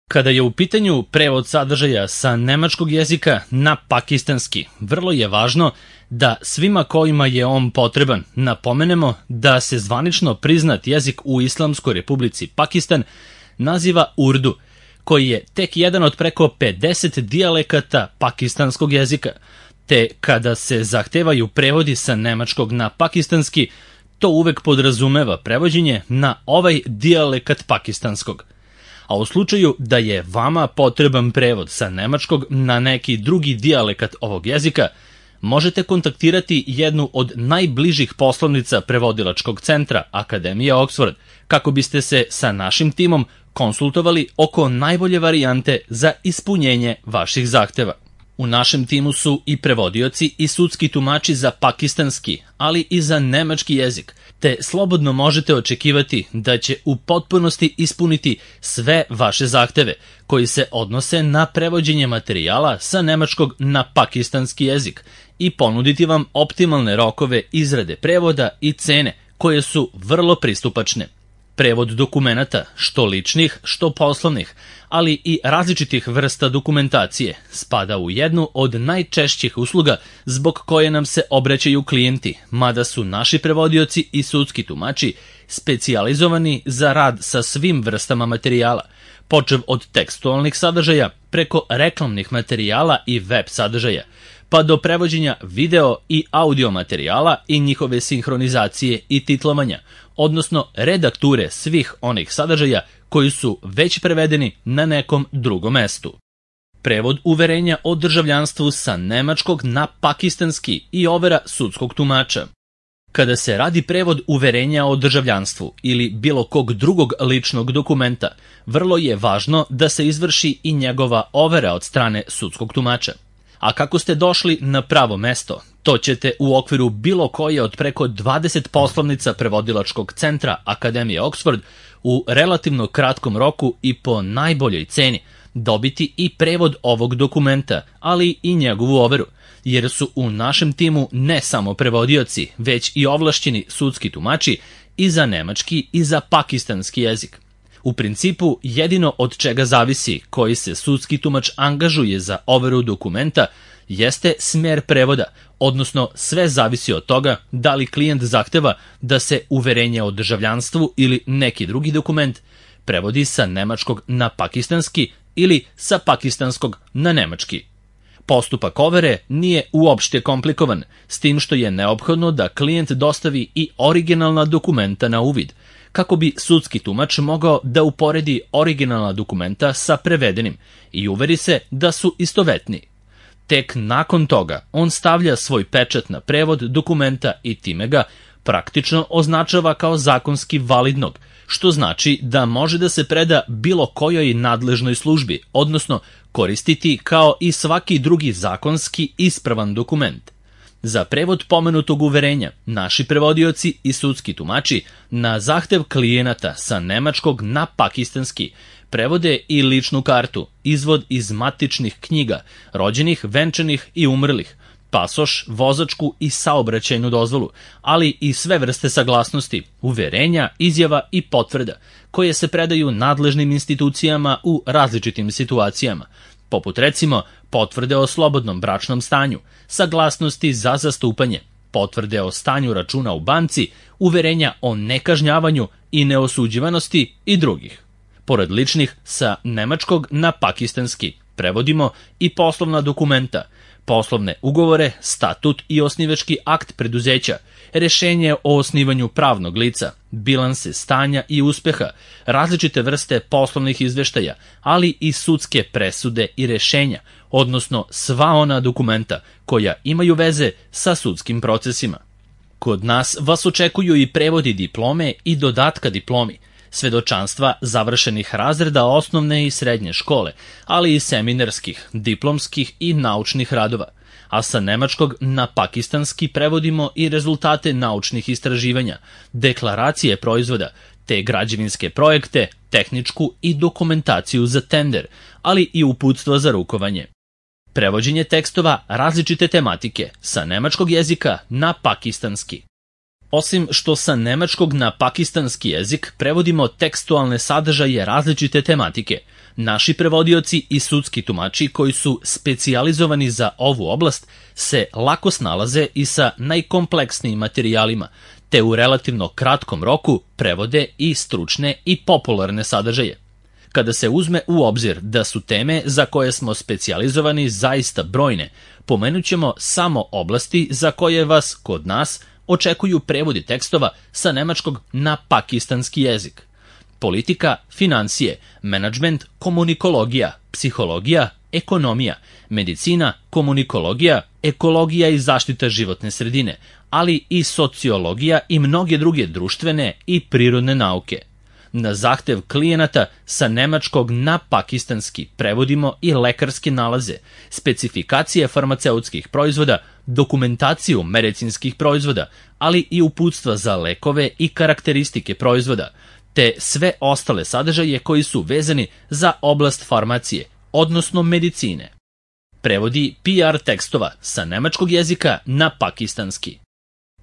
Kada je u pitanju prevod sadržaja sa nemačkog jezika na pakistanski, vrlo je važno da svima kojima je on potreban napomenemo da se zvanično priznat jezik u Islamskoj Republici Pakistan naziva Urdu, koji je tek jedan od preko 50 dijalekata pakistanskog jezika, te kada se zahtevaju prevodi sa nemačkog na pakistanski, to uvek podrazumeva prevođenje na ovaj dijalekat pakistanskog. A u slučaju da je vama potreban prevod sa nemačkog na neki drugi dijalekat ovog jezika, možete kontaktirati jednu od najbližih poslovnica prevodilačkog centra Akademije Oxford, kako biste se sa našim timom konsultovali oko najbolje varijante za ispunjenje vaših zahteva. U našem timu su i prevodioci i sudski tumači za pakistanski, ali i za nemački jezik, te slobodno možete očekivati da će u potpunosti ispuniti sve vaše zahteve koji se odnose na prevođenje materijala sa nemačkog na pakistanski jezik i ponuditi vam optimalne rokove izrade prevoda i cene koje su vrlo pristupačne. Prevod dokumenata, što ličnih, što poslovnih, ali i različitih vrsta dokumentacije, spada u jednu od najčešćih usluga zbog koje nam se obraćaju klijenti, mada su naši prevodioci i sudski tumači specijalizovani za rad sa svim vrstama materijala, počev od tekstualnih sadržaja preko reklamnih materijala i web sadržaja, pa do prevođenja video i audio materijala i njihove sinhronizacije i titlovanja, odnosno redakture svih onih sadržaja koji su već prevedeni na nekom drugom mestu. Prevod uverenja o državljanstvu sa nemačkog na pakistanski i overa sudskog tumača. Kada se radi prevod uverenja o državljanstvu ili bilo kog drugog ličnog dokumenta, vrlo je važno da se izvrši i njegova overa od strane sudskog tumača. A kako ste došli na pravo mesto, to ćete u okviru bilo koje od preko 20 poslovnica prevodilačkog centra Akademije Oxford u relativno kratkom roku i po najboljoj ceni dobiti i prevod ovog dokumenta, ali i njegovu overu, jer su u našem timu ne samo prevodioci, već i ovlašćeni sudski tumači i za nemački i za pakistanski jezik. U principu, jedino od čega zavisi koji se sudski tumač angažuje za overu dokumenta jeste smer prevoda, odnosno sve zavisi od toga da li klijent zahteva da se uverenje o državljanstvu ili neki drugi dokument prevodi sa nemačkog na pakistanski ili sa pakistanskog na nemački. Postupak overe nije uopšte komplikovan, s tim što je neophodno da klijent dostavi i originalna dokumenta na uvid, kako bi sudski tumač mogao da uporedi originalna dokumenta sa prevedenim i uveri se da su istovetni. Tek nakon toga on stavlja svoj pečat na prevod dokumenta i time ga praktično označava kao zakonski validnog, što znači da može da se preda bilo kojoj nadležnoj službi, odnosno koristiti kao i svaki drugi zakonski ispravan dokument. Za prevod pomenutog uverenja, naši prevodioci i sudski tumači na zahtev klijenata sa nemačkog na pakistanski prevode i ličnu kartu, izvod iz matičnih knjiga, rođenih, venčanih i umrlih, pasoš, vozačku i saobraćajnu dozvolu, ali i sve vrste saglasnosti, uverenja, izjava i potvrda, koje se predaju nadležnim institucijama u različitim situacijama, poput recimo potvrde o slobodnom bračnom stanju, saglasnosti za zastupanje, potvrde o stanju računa u banci, uverenja o nekažnjavanju i neosuđivanosti i drugih. Pored ličnih, sa nemačkog na pakistanski prevodimo i poslovna dokumenta, poslovne ugovore, statut i osnivački akt preduzeća, rešenje o osnivanju pravnog lica, bilanse stanja i uspeha, različite vrste poslovnih izveštaja, ali i sudske presude i rešenja, odnosno sva ona dokumenta koja imaju veze sa sudskim procesima. Kod nas vas očekuju i prevodi diplome i dodatka diplomi, svedočanstva završenih razreda osnovne i srednje škole, ali i seminarskih, diplomskih i naučnih radova, a sa nemačkog na pakistanski prevodimo i rezultate naučnih istraživanja, deklaracije proizvoda, te građevinske projekte, tehničku i dokumentaciju za tender, ali i uputstvo za rukovanje. Prevođenje tekstova različite tematike sa nemačkog jezika na pakistanski. Osim što sa nemačkog na pakistanski jezik prevodimo tekstualne sadržaje različite tematike, naši prevodioci i sudski tumači koji su specijalizovani za ovu oblast se lako snalaze i sa najkompleksnijim materijalima, te u relativno kratkom roku prevode i stručne i popularne sadržaje. Kada se uzme u obzir da su teme za koje smo specijalizovani zaista brojne, pomenut ćemo samo oblasti za koje vas, kod nas, očekuju prevodi tekstova sa nemačkog na pakistanski jezik. Politika, financije, menadžment, komunikologija, psihologija, ekonomija, medicina, komunikologija, ekologija i zaštita životne sredine, ali i sociologija i mnoge druge društvene i prirodne nauke. Na zahtev klijenata sa nemačkog na pakistanski prevodimo i lekarske nalaze, specifikacije farmaceutskih proizvoda, dokumentaciju medicinskih proizvoda, ali i uputstva za lekove i karakteristike proizvoda, te sve ostale sadržaje koji su vezani za oblast farmacije, odnosno medicine. Prevodi PR tekstova sa nemačkog jezika na pakistanski.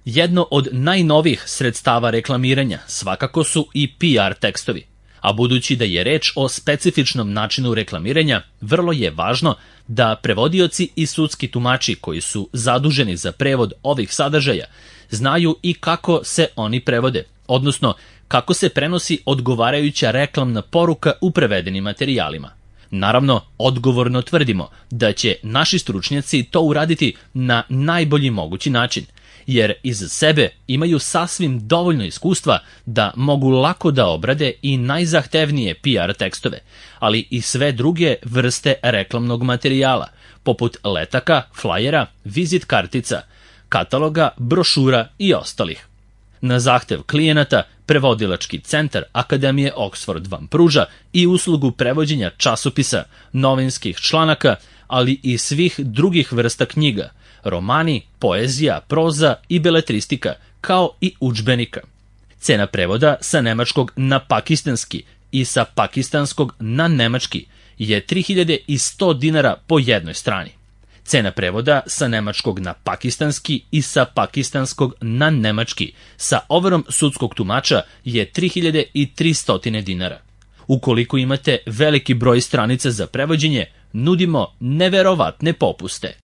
Jedno od najnovijih sredstava reklamiranja svakako su i PR tekstovi, a budući da je reč o specifičnom načinu reklamiranja, vrlo je važno da prevodioci i sudski tumači koji su zaduženi za prevod ovih sadržaja znaju i kako se oni prevode, odnosno kako se prenosi odgovarajuća reklamna poruka u prevedenim materijalima. Naravno, odgovorno tvrdimo da će naši stručnjaci to uraditi na najbolji mogući način, jer iza sebe imaju sasvim dovoljno iskustva da mogu lako da obrade i najzahtevnije PR tekstove, ali i sve druge vrste reklamnog materijala, poput letaka, flajera, vizit kartica, kataloga, brošura i ostalih. Na zahtev klijenata, prevodilački centar Akademije Oxford vam pruža i uslugu prevođenja časopisa, novinskih članaka, ali i svih drugih vrsta knjiga, romani, poezija, proza i beletristika, kao i udžbenika. Cena prevoda sa nemačkog na pakistanski i sa pakistanskog na nemački je 3100 dinara po jednoj strani. Cena prevoda sa nemačkog na pakistanski i sa pakistanskog na nemački sa overom sudskog tumača je 3300 dinara. Ukoliko imate veliki broj stranica za prevođenje, nudimo neverovatne popuste.